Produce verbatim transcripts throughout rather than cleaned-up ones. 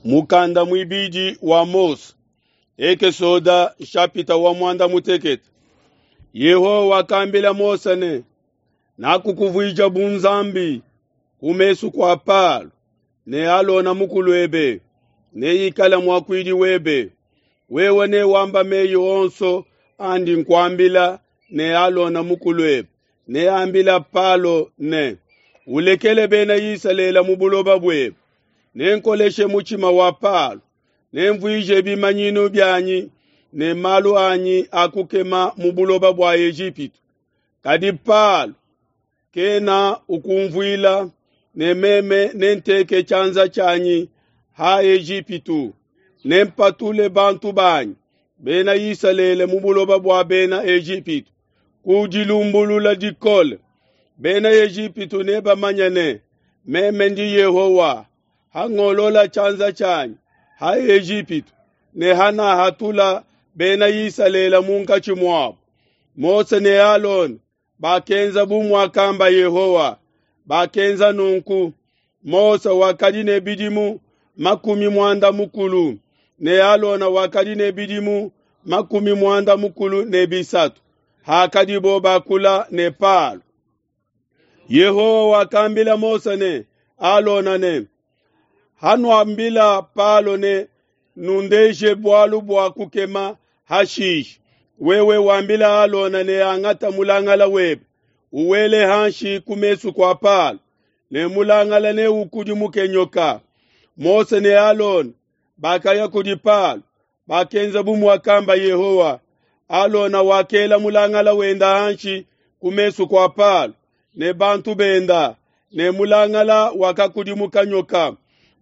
Mukanda muibidi wa Mose, Ekesoda nshapita wa muanda mutekete. Yehowa wakambila Mose ne, nakukuvuija bu Nzambi ku mesu kua Palo ne Alona mukuluebe neikale muakuidi webe. Wewe newamba meyi onso andi nkuambila ne Alona mukuluebe neambila Palo ne, ulekele bena Isalele mu buloba buebe. Nenkoleshe mutshima wa Palo, nemvuije bimanyinu bianyi ne malu anyi a kukema mu buloba bua Ejipitu. Kadi Palo kena ukumvuila, ne meme nenteke tshianza tshianyi ha Ejipitu, nempatule bantu banyi bena Isalele mu buloba bua bena Ejipitu ku dilumbulula dikole. Bena Ejipitu nebamanye ne, meme ndi Yehowa, hangolola tshianza tshianyi ha Ejipitu ne hanahatula bena Isalele munkatshi muabo. Mose ne Alona bakenza bu muakamba Yehowa, bakenza nunku. Mose wakadi ne bidimu makumi muanda mukulu ne Alona wakadi ne bidimu makumi muanda mukulu ne bisatu hakadibo bakula ne Palo. Yehowa wakambila Mose ne Alona ne, hanuambila Palo ne nundeje bualu bua kukema hashishe, wewe wambila Alona ne angata mulangala webe uwele hanshi ku mesu kua Palo, ne mulangala neukudimuke nyoka. Mose ne Alona bakaya kudi Palo, bakenza bu muakamba Yehowa. Alona wakela mulangala wenda hanshi ku mesu kua Palo ne bantu benda, ne mulangala wakakudimuka nyoka.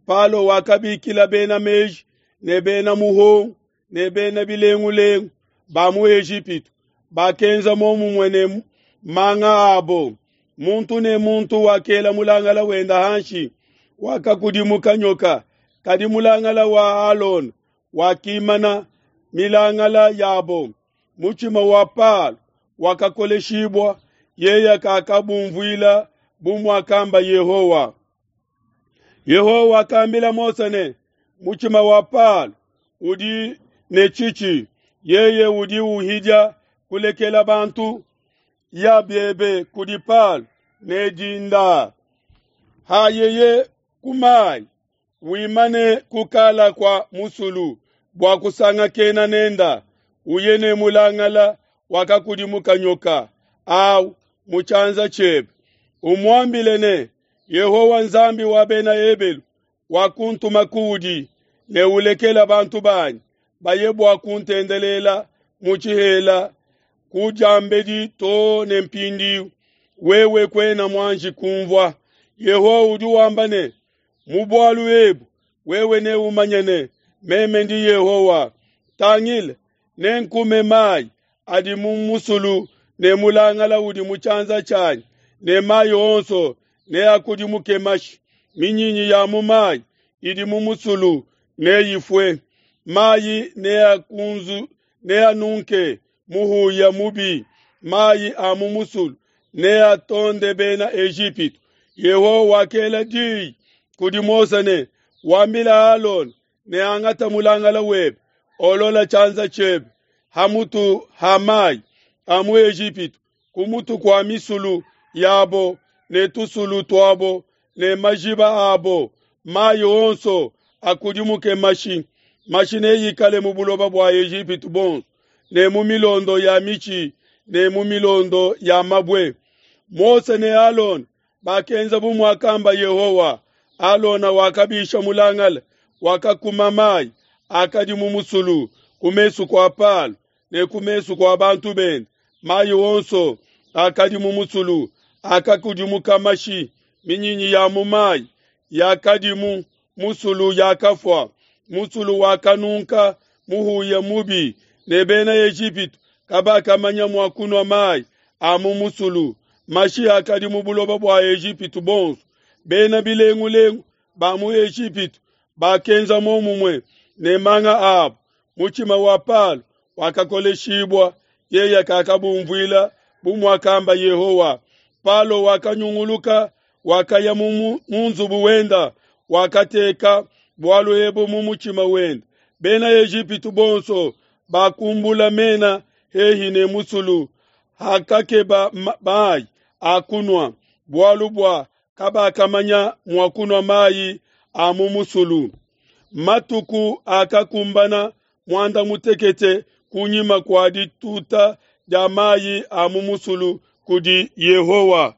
Palo wakabikila bena meji ne bena muhongo ne bena bilengulengu ba mu Ejipitu, bakenza momumue ne manga abo. Muntu ne muntu wakela mulangala wenda hanshi, wakakudimuka nyoka. Kadi mulangala wa Alona wakimana milangala yabo. Mutshima wa Palo wakakoleshibwa, yeye kakabumvuila bu muakamba Yehowa. Yehowa wakambila Mose ne, mutshima wa Palo udi ne tshitshi, yeye udi uhidia kulekela bantu ya biebe kudi Palo ne dinda. Hayeye kumai wimane kukala kwa musulu bua kusangakena nenda, uye ne mulangala wakakudimuka nyoka au mu tshianza tshiebe. Umuambile ne, Yehowa Nzambi wa bena Ebelu wakuntuma kuudi ne ulekela bantu banyi baye bua kuntendelela mu tshihela ku diambedi too ne mpindiu, wewe kuena muanji kumvua. Yehowa udi wamba ne, mu bualu ebu wewe neumanye ne, meme ndi Yehowa. Tangila, nenkume mayi adi mu musulu ne mulangala udi mu tshianza tshianyi, ne mayi onso neakudimuke mashi. Minyinyi ya mu mayi idi mu musulu neifue, mayi neakunzu neanunke muhuya mubi, mayi a mu musulu neatonde bena Ejipitu. Yehowa wakela diyi kudi Mose ne, wambila Alona ne angata mulangala webe, olola tshianza tshiebe hamutu ha mayi a mu Ejipitu, ku mutu kua misulu yabo ne tusulu tuabo ne majiba abo, mayi onso akudimuke mashi. Mashi neikale mu buloba bua Ejipitu bonso, ne mu milondo ya mitshi ne mu milondo ya mabue. Mose ne Alona bakenza bu muakamba Yehowa. Alona wakabisha mulangala, wakakuma mayi akadi mu musulu ku mesu kua Palo ne ku mesu kua bantu bende. Mayi onso akadi mu musulu akakudimuka mashi, minyinyi ya mu mayi yakadi mu musulu yakafua. Musulu wakanunka muhuya mubi, ne bena Ejipitu kabakamanya mua kunua mayi a mu musulu. Mashi akadi mu buloba bua Ejipitu bonso. Bena bilengulengu ba mu Ejipitu bakenza momumue ne manga abo. Mutshima wa Palo wakakoleshibwa, yeye kakabumvuila bu muakamba Yehowa. Palo wakanyunguluka, wakaya mu nzubu wenda, wakateka bualu ebu mu mutshima wende, Bena Ejipitu bonso bakumbula mena hehi ne musulu hakakeba mai a kunua, bualu bua kabakamanya mua kunua mai a mu musulu. Matuku akakumbana muanda mutekete kunyima kua dituta dia mayi a mu musulu kudi Yehowa.